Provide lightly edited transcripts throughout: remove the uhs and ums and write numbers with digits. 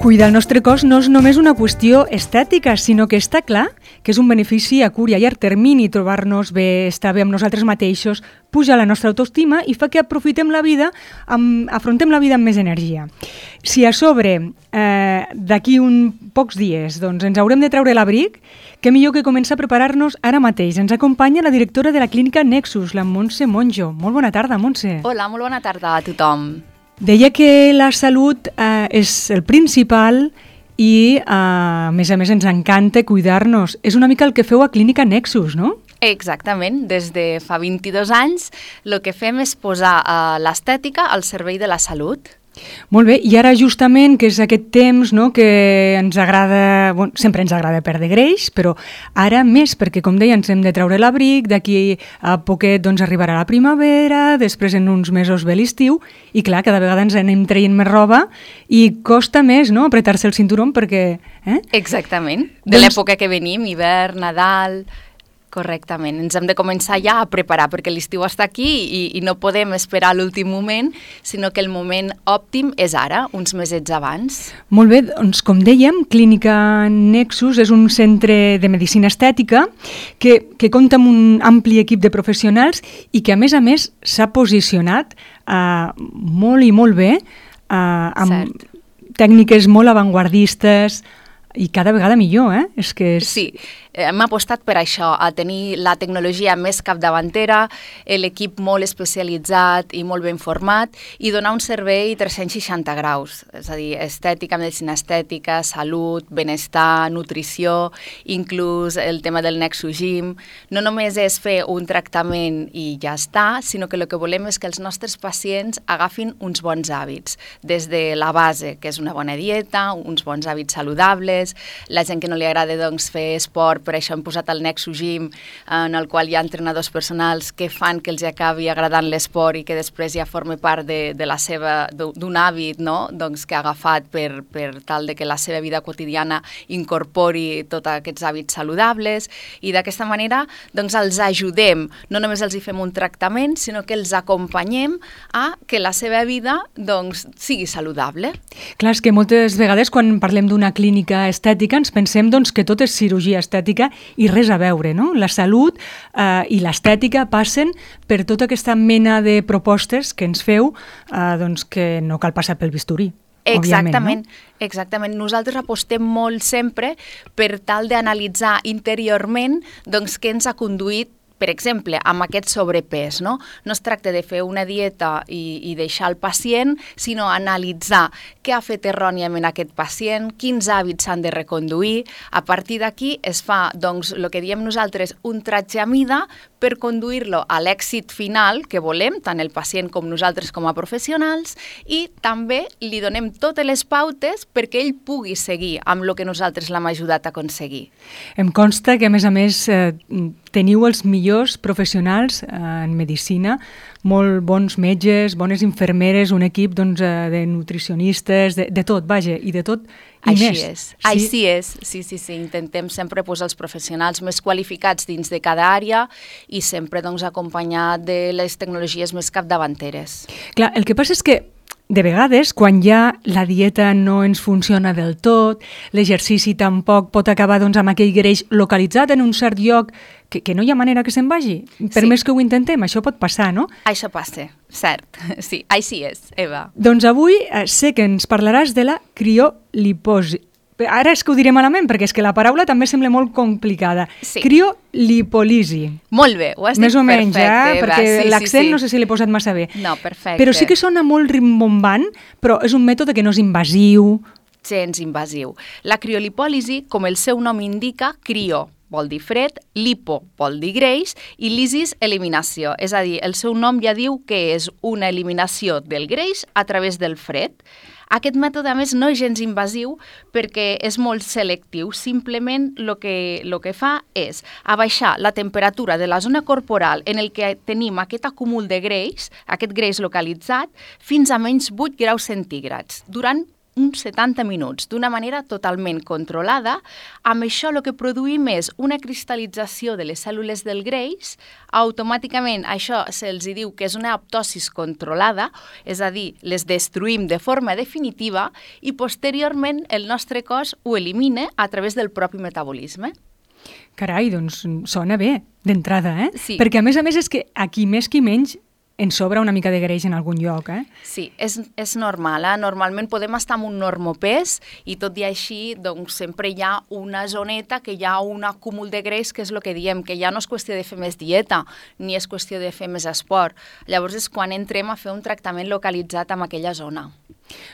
Cuidar el nostre cos no és només una qüestió estètica, sinó que està clar que és un benefici a curt i a llarg termini trobar-nos bé, estar bé amb nosaltres mateixos, puja la nostra autoestima i fa que aprofitem la vida, afrontem la vida amb més energia. Si a sobre, d'aquí pocs dies, doncs ens haurem de treure l'abric, què millor que començar a preparar-nos ara mateix. Ens acompanya la directora de la clínica Nexus, la Montse Monjo. Molt bona tarda, Montse. Hola, molt bona tarda a tothom. Deia que la salut és el principal i, a més, ens encanta cuidar-nos. És una mica el que feu a Clínica Nexus, no? Exactament. Des de fa 22 anys el que fem és posar l'estètica al servei de la salut. Molt bé, i ara justament, que és aquest temps, no, que ens agrada, sempre ens agrada perdre greix, però ara més, perquè com deia, ens hem de treure l'abric, d'aquí a poquet doncs, arribarà la primavera, després en uns mesos ve l'estiu, i clar, cada vegada ens anem traient més roba i costa més, no?, apretar-se el cinturó perquè... Exactament, de l'època que venim, hivern, Nadal... Correctament, ens hem de començar ja a preparar perquè l'estiu està aquí i no podem esperar a l'últim moment, sinó que el moment òptim és ara, uns mesets abans. Molt bé, doncs com dèiem, Clínica Nexus és un centre de medicina estètica que compta amb un ampli equip de professionals i que a més s'ha posicionat molt i molt bé amb tècniques molt avantguardistes i cada vegada millor, Sí. Hem apostat per això, a tenir la tecnologia més capdavantera, l'equip molt especialitzat i molt ben format i donar un servei 360 graus, és a dir, estètica, medicina estètica, salut, benestar, nutrició, inclús el tema del Nexus Gym. No només és fer un tractament i ja està, sinó que el que volem és que els nostres pacients agafin uns bons hàbits, des de la base, que és una bona dieta, uns bons hàbits saludables, la gent que no li agrada doncs, fer esport, per això hem posat el Nexus Gym, en el qual hi ha entrenadors personals que fan que els acabi agradant l'esport i que després ja formi part d'un hàbit, no? Doncs, que ha agafat per tal de que la seva vida quotidiana incorpori tots aquests hàbits saludables i d'aquesta manera doncs, els ajudem, no només els hi fem un tractament, sinó que els acompanyem a que la seva vida doncs, sigui saludable. Clar, és que moltes vegades quan parlem d'una clínica estètica ens pensem doncs, que tot és cirurgia estètica i res a veure, no? La salut i l'estètica passen per tota aquesta mena de propostes que ens feu, doncs que no cal passar pel bisturí. Exactament, no? Exactament. Nosaltres apostem molt sempre per tal d'analitzar interiorment doncs, què ens ha conduït, per exemple, amb aquest sobrepès, no? No es tracta de fer una dieta i deixar el pacient, sinó analitzar què ha fet erròniament aquest pacient, quins hàbits s'han de reconduir. A partir d'aquí es fa, doncs, el que diem nosaltres, un tratge a mida per conduir-lo a l'èxit final que volem, tant el pacient com nosaltres com a professionals, i també li donem totes les pautes perquè ell pugui seguir amb el que nosaltres l'hem ajudat a aconseguir. Em consta que, a més, teniu els millors professionals en medicina, molt bons metges, bones infermeres, un equip doncs, de nutricionistes, de tot, vaja, i de tot i així més. És. Sí? Així és, sí. Intentem sempre posar els professionals més qualificats dins de cada àrea i sempre doncs, acompanyat de les tecnologies més capdavanteres. Clar, el que passa és que de vegades, quan ja la dieta no ens funciona del tot, l'exercici tampoc pot acabar doncs, amb aquell greix localitzat en un cert lloc que no hi ha manera que se'n vagi. Per més que ho intentem, això pot passar, no? Això passa, cert. Sí, així és, Eva. Doncs avui sé que ens parlaràs de la crioliposi. Ara és que ho diré malament, perquè és que la paraula també sembla molt complicada. Sí. Criolipòlisi. Molt bé, ho has dit més o menys, perfecte, perquè sí, l'accent no sé si l'he posat massa bé. No, perfecte. Però sí que sona molt rimbombant, però és un mètode que no és invasiu. Gens invasiu. La criolipòlisi, com el seu nom indica, crio vol dir fred, lipo vol dir greix i lisis, eliminació. És a dir, el seu nom ja diu que és una eliminació del greix a través del fred. Aquest mètode, a més, no és gens invasiu perquè és molt selectiu. Simplement el que fa és abaixar la temperatura de la zona corporal en el que tenim aquest acúmul de greix, aquest greix localitzat, fins a menys 8 graus centígrads, durant uns 70 minuts, d'una manera totalment controlada. Amb això el que produïm és una cristal·lització de les cèl·lules del greix. Automàticament això se'ls diu que és una apoptosi controlada, és a dir, les destruïm de forma definitiva i posteriorment el nostre cos ho elimina a través del propi metabolisme. Carai, doncs sona bé, d'entrada, eh? Sí. Perquè a més és que a qui més qui menys ens sobra una mica de greix en algun lloc, eh? Sí, és normal, eh? Normalment podem estar amb un normopès i tot i així doncs, sempre hi ha una zoneta que hi ha un acúmul de greix, que és el que diem, que ja no és qüestió de fer més dieta ni és qüestió de fer més esport. Llavors és quan entrem a fer un tractament localitzat en aquella zona.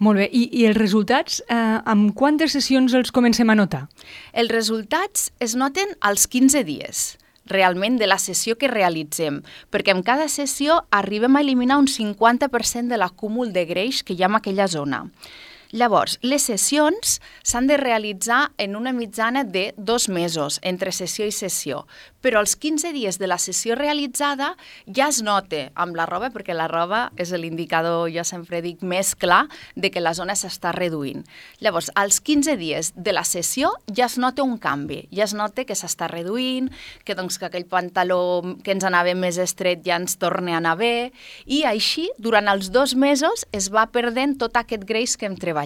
Molt bé, i els resultats, amb quantes sessions els comencem a notar? Els resultats es noten als 15 dies. Realment de la sessió que realitzem, perquè en cada sessió arribem a eliminar un 50% de l'acúmul de greix que hi ha en aquella zona. Llavors, les sessions s'han de realitzar en una mitjana de 2 mesos, entre sessió i sessió, però als 15 dies de la sessió realitzada ja es nota amb la roba, perquè la roba és l'indicador, jo sempre dic, més clar de que la zona s'està reduint. Llavors, als 15 dies de la sessió ja es nota un canvi, ja es nota que s'està reduint, que, doncs, que aquell pantaló que ens anava més estret ja ens torna a anar bé, i així, durant els 2 mesos, es va perdent tot aquest greix que hem treballat.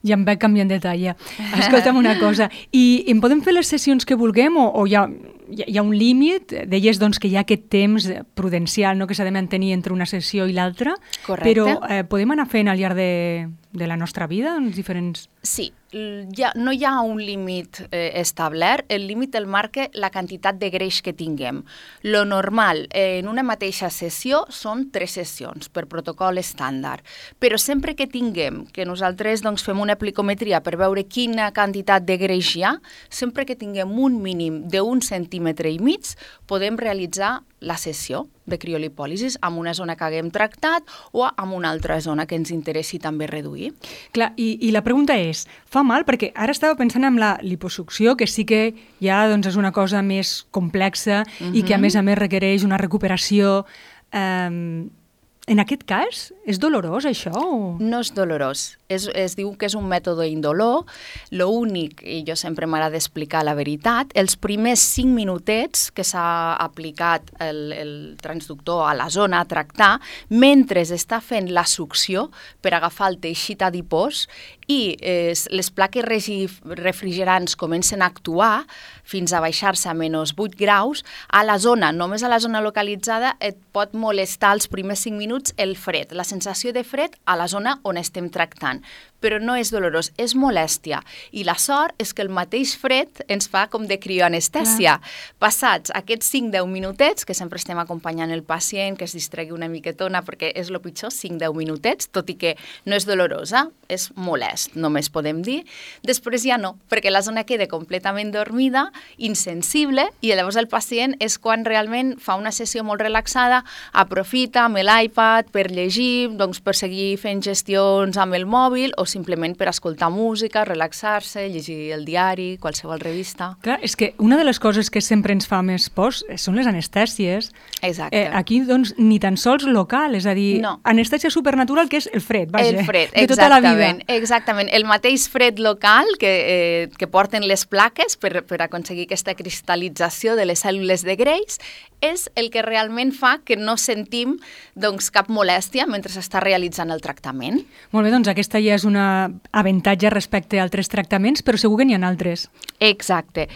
Ja em veig canviant de talla. Escolta'm una cosa, i en podem fer les sessions que vulguem o hi ha un límit? Deies doncs, que hi ha aquest temps prudencial, no?, que s'ha de mantenir entre una sessió i l'altra. Correcte. Però podem anar fent al llarg de la nostra vida en diferents... Sí, no hi ha un límit establert, el límit el marca la quantitat de greix que tinguem. Lo normal en una mateixa sessió són 3 sessions per protocol estàndard, però sempre que tinguem, que nosaltres doncs, fem una plicometria per veure quina quantitat de greix hi ha, sempre que tinguem un mínim d'1,5 centímetres, podem realitzar la sessió de criolipòlisis amb una zona que haguem tractat o amb una altra zona que ens interessi també reduir. Clar, i la pregunta és, fa mal? Perquè ara estava pensant en la liposucció, que sí que ja doncs, és una cosa més complexa i que a més requereix una recuperació. En aquest cas, és dolorós això? O... No és dolorós. Es diu que és un mètode indolor. L'únic, i jo sempre m'agrada explicar la veritat, els primers 5 minutets que s'ha aplicat el transductor a la zona a tractar, mentre està fent la succió per agafar el teixit adipós i les plaques refrigerants comencen a actuar fins a baixar-se a -8 graus, a la zona, només a la zona localitzada, et pot molestar els primers 5 minuts el fred, la sensació de fred a la zona on estem tractant. Però no és dolorós, és molèstia. I la sort és que el mateix fred ens fa com de crioanestèsia. Passats aquests 5-10 minutets, que sempre estem acompanyant el pacient, que es distregui una miquetona, perquè és el pitjor, 5-10 minutets, tot i que no és dolorosa, és molest, només podem dir. Després ja no, perquè la zona queda completament dormida, insensible, i llavors el pacient és quan realment fa una sessió molt relaxada, aprofita amb l'iPad per llegir, doncs per seguir fent gestions amb el mòbil, o simplement per escoltar música, relaxar-se, llegir el diari, qualsevol revista. Clar, és que una de les coses que sempre ens fa més pors són les anestèsies. Exacte. Aquí, doncs, ni tan sols local, és a dir, no. Anestèsia supernatural, que és el fred, vaja, el fred, de tota la vida. Exactament. El mateix fred local que porten les plaques per aconseguir aquesta cristal·lització de les cèl·lules de greix és el que realment fa que no sentim doncs, cap molèstia mentre s'està realitzant el tractament. Molt bé, doncs aquesta ja és un avantatge respecte a altres tractaments, però segur que n'hi ha altres. Exacte.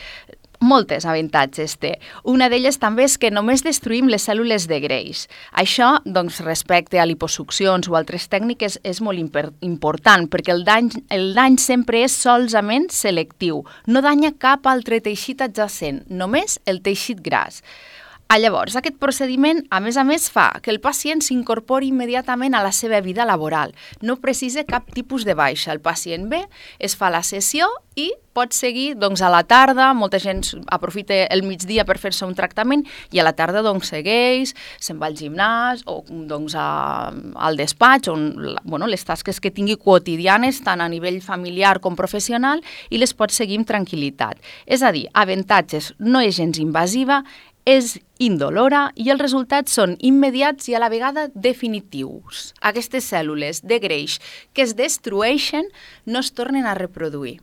Moltes avantatges té. Una d'elles també és que només destruïm les cèl·lules de greix. Això, doncs, respecte a liposuccions o altres tècniques, és molt important, perquè el dany sempre és solament selectiu. No danya cap altre teixit adjacent, només el teixit gras. Llavors, aquest procediment, a més, fa que el pacient s'incorpori immediatament a la seva vida laboral. No precisa cap tipus de baixa. El pacient ve, es fa la sessió i pot seguir doncs, a la tarda. Molta gent aprofita el migdia per fer-se un tractament i a la tarda doncs, segueix, se'n va al gimnàs o doncs, al despatx, on les tasques que tingui quotidianes, tant a nivell familiar com professional, i les pot seguir amb tranquil·litat. És a dir, avantatges, no és gens invasiva, és indolora i els resultats són immediats i a la vegada definitius. Aquestes cèl·lules de greix que es destrueixen no es tornen a reproduir.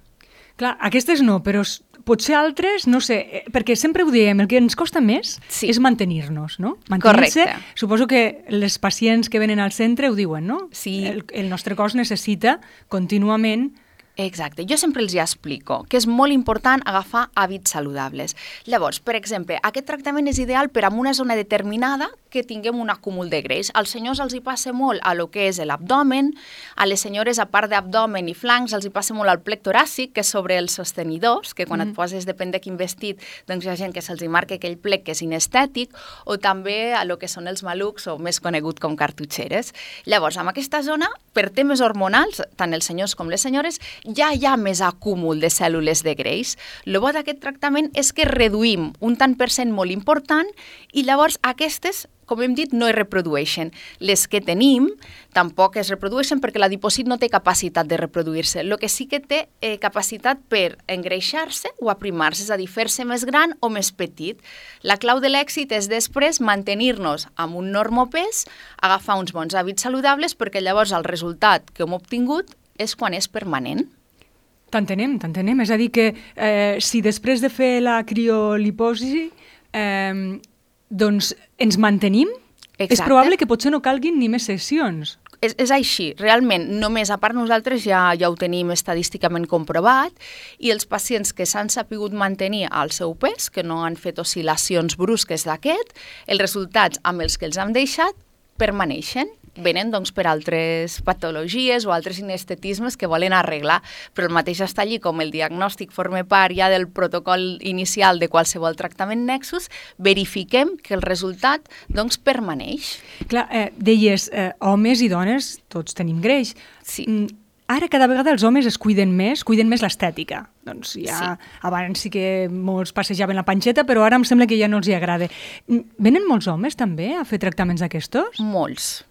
Clar, aquestes no, però potser altres, no sé, perquè sempre ho diem, el que ens costa més és mantenir-nos, no? Mantenir-se, suposo que les pacients que venen al centre ho diuen, no? Sí. El nostre cos necessita contínuament. Exacte. Jo sempre els explico que és molt important agafar hàbits saludables. Llavors, per exemple, aquest tractament és ideal per a una zona determinada que tinguem un acúmul de greix. Als senyors els hi passa molt a lo que és l'abdomen, a les senyores, a part d'abdomen i flancs, els hi passa molt al plec toràcic, que és sobre els sostenidors, que quan et poses, depèn de quin vestit, doncs hi ha gent que se'ls hi marca aquell plec que és inestètic, o també a lo que són els malucs, o més conegut com cartutxeres. Llavors, en aquesta zona, per temes hormonals, tant els senyors com les senyores, ja hi ha més acúmul de cèl·lules de greix. El bo d'aquest tractament és que reduïm un tant per cent molt important i llavors aquestes, com hem dit, no es reprodueixen. Les que tenim tampoc es reprodueixen perquè l'adipòcit no té capacitat de reproduir-se. El que sí que té capacitat per engreixar-se o aprimar-se, és a dir, fer-se més gran o més petit. La clau de l'èxit és després mantenir-nos amb un normopès, agafar uns bons hàbits saludables perquè llavors el resultat que hem obtingut és quan és permanent. T'entenem. És a dir que si després de fer la crioliposi doncs ens mantenim, és probable que potser no calguin ni més sessions. És així, realment, només a part nosaltres ja ho tenim estadísticament comprovat i els pacients que s'han sapigut mantenir al seu pes, que no han fet oscil·lacions brusques d'aquest, els resultats amb els que els hem deixat permaneixen. Venen doncs, per altres patologies o altres inestetismes que volen arreglar, però el mateix està allí, com el diagnòstic forma part ja del protocol inicial de qualsevol tractament Nexus, verifiquem que el resultat doncs, permaneix. Clar, deies, homes i dones, tots tenim greix. Sí. Ara cada vegada els homes es cuiden més l'estètica. Doncs ja abans sí que molts passejaven la panxeta, però ara em sembla que ja no els hi agrada. Venen molts homes també a fer tractaments d'aquestos? Molts.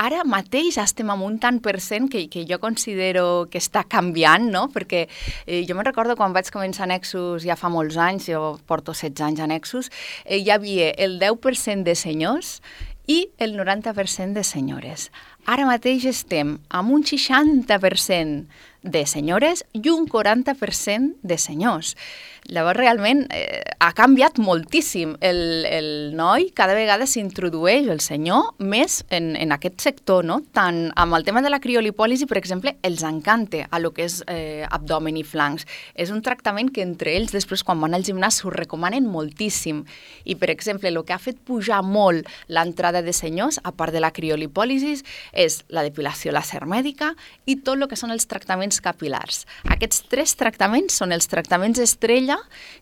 Ara mateix estem amb un tant per cent que jo considero que està canviant, no? Perquè jo me'n recordo quan vaig començar a Nexus ja fa molts anys, jo porto 16 anys a Nexus, hi havia el 10% de senyors i el 90% de senyores. Ara mateix estem amb un 60% de senyores i un 40% de senyors. Llavors, realment, ha canviat moltíssim. El noi cada vegada s'introdueix, el senyor, més en aquest sector, no? Tant amb el tema de la criolipòlisi, per exemple, els encanta a lo que és abdomen i flancs. És un tractament que entre ells, després, quan van al gimnàs, s'ho recomanen moltíssim. I, per exemple, el que ha fet pujar molt l'entrada de senyors, a part de la criolipòlisi, és la depilació làser mèdica i tot el que són els tractaments capilars. Aquests 3 tractaments són els tractaments estrella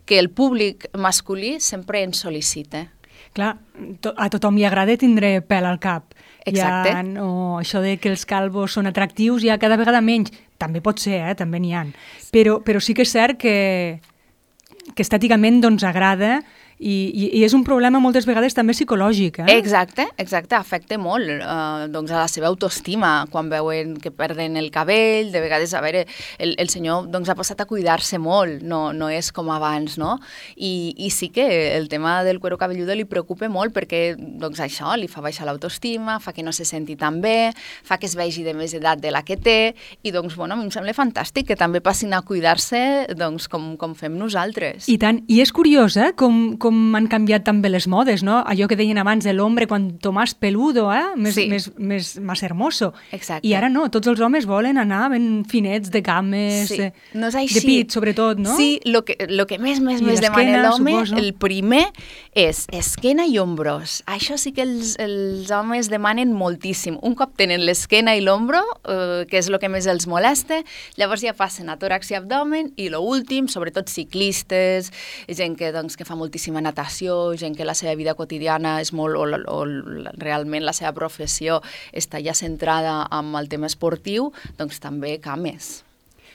que el públic masculí sempre ens sol·licita. Clar, a tothom li agrada tindre pèl al cap. Exacte. Ja, no, això de que els calvos són atractius ja cada vegada menys. També pot ser, també n'hi ha. Però sí que és cert que estèticament doncs, agrada i és un problema moltes vegades també psicològic. Exacte, afecta molt doncs a la seva autoestima quan veuen que perden el cabell, de vegades, a veure, el senyor doncs, ha passat a cuidar-se molt, no és com abans, no? I sí que el tema del cuero cabelludo li preocupa molt perquè doncs, això li fa baixar l'autoestima, fa que no se senti tan bé, fa que es vegi de més edat de la que té i doncs, bueno, a mi em sembla fantàstic que també passin a cuidar-se doncs, com fem nosaltres. I tant, i és curiós, com han canviat també les modes, no? Allò que deien abans de l'home cuanto más peludo, más hermoso. Exacte. I ara no, tots els homes volen anar ben finets de cames, no és així. De pit, sobretot, no? Sí, lo que més demana l'home, el primer és esquena i ombros. Això sí que els homes demanen moltíssim. Un cop tenen l'esquena i l'ombro, que és el que més els molesta, llavors ja passen a tòrax i abdomen i l'últim, sobretot ciclistes, gent que fa moltíssima natació, gent que la seva vida quotidiana és molt, o realment la seva professió està ja centrada en el tema esportiu, doncs també cames.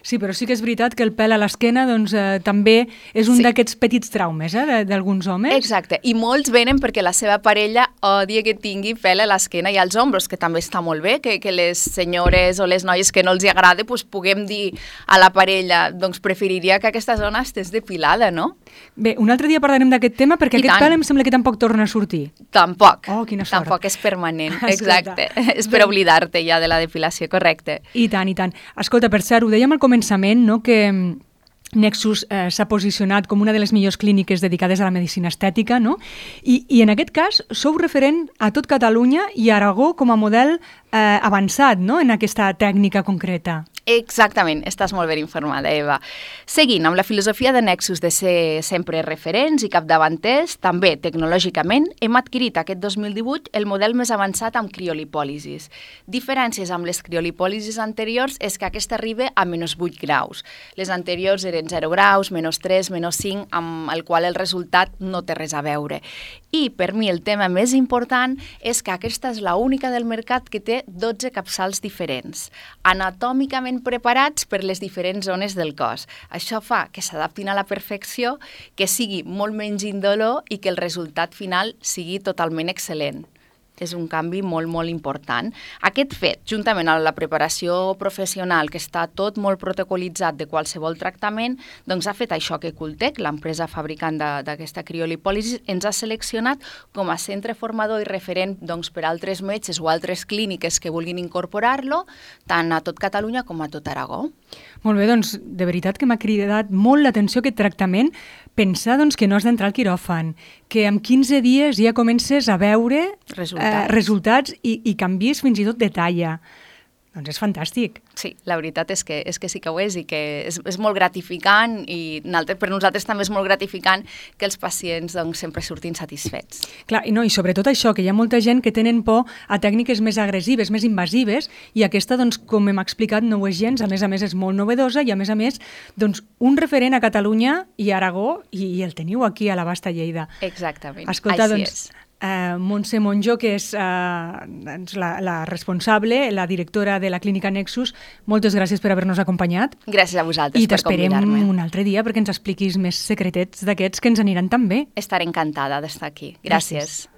Sí, però sí que és veritat que el pèl a l'esquena doncs, també és un d'aquests petits traumes d'alguns homes. Exacte, i molts venen perquè la seva parella odia que tingui pèl a l'esquena i als ombros, que també està molt bé, que les senyores o les noies que no els agrada doncs puguem dir a la parella, doncs preferiria que aquesta zona estés depilada, no? Bé, un altre dia parlarem d'aquest tema perquè aquest pèl em sembla que tampoc torna a sortir. Tampoc. Oh, quina sort. Tampoc és permanent, exacte. És per oblidar-te ja de la depilació, correcte. I tant, i tant. Escolta, per cert, ho dèiem al començament, no?, que Nexus s'ha posicionat com una de les millors clíniques dedicades a la medicina estètica, no? I en aquest cas sou referent a tot Catalunya i Aragó com a model avançat, no?, en aquesta tècnica concreta. Exactament, estàs molt ben informada, Eva. Seguint amb la filosofia de Nexus de ser sempre referents i capdavanters, també tecnològicament hem adquirit aquest 2018 el model més avançat amb criolipòlisis. Diferències amb les criolipòlisis anteriors és que aquesta arriba a -8 graus. Les anteriors eren 0 graus, -3, -5, amb el qual el resultat no té res a veure. I per mi el tema més important és que aquesta és l'única del mercat que té 12 capçals diferents, anatòmicament preparats per les diferents zones del cos. Això fa que s'adaptin a la perfecció, que sigui molt menys indolor i que el resultat final sigui totalment excel·lent. És un canvi molt, molt important. Aquest fet, juntament amb la preparació professional, que està tot molt protocolitzat de qualsevol tractament, doncs ha fet això que Cultec, l'empresa fabricant d'aquesta criolipòlisi, ens ha seleccionat com a centre formador i referent doncs, per altres metges o altres clíniques que vulguin incorporar-lo, tant a tot Catalunya com a tot Aragó. Molt bé, doncs de veritat que m'ha cridat molt l'atenció aquest tractament. Pensar doncs, que no has d'entrar al quiròfan, que en 15 dies ja comences a veure resultats i canvis fins i tot de talla. Doncs és fantàstic. Sí, la veritat és que sí que ho és i que és molt gratificant i per nosaltres també és molt gratificant que els pacients doncs, sempre surtin satisfets. Clar, i sobretot això, que hi ha molta gent que tenen por a tècniques més agressives, més invasives, i aquesta, doncs, com hem explicat, no ho és gens, a més és molt novedosa i a més, doncs, un referent a Catalunya i Aragó i el teniu aquí a la Vasta Lleida. Exactament, escolta, així doncs, és. Montse Monjo, que és la responsable, la directora de la Clínica Nexus, moltes gràcies per haver-nos acompanyat. Gràcies a vosaltres per convidar-me. I t'esperem un altre dia perquè ens expliquis més secretets d'aquests que ens aniran tan bé. Estaré encantada d'estar aquí. Gràcies.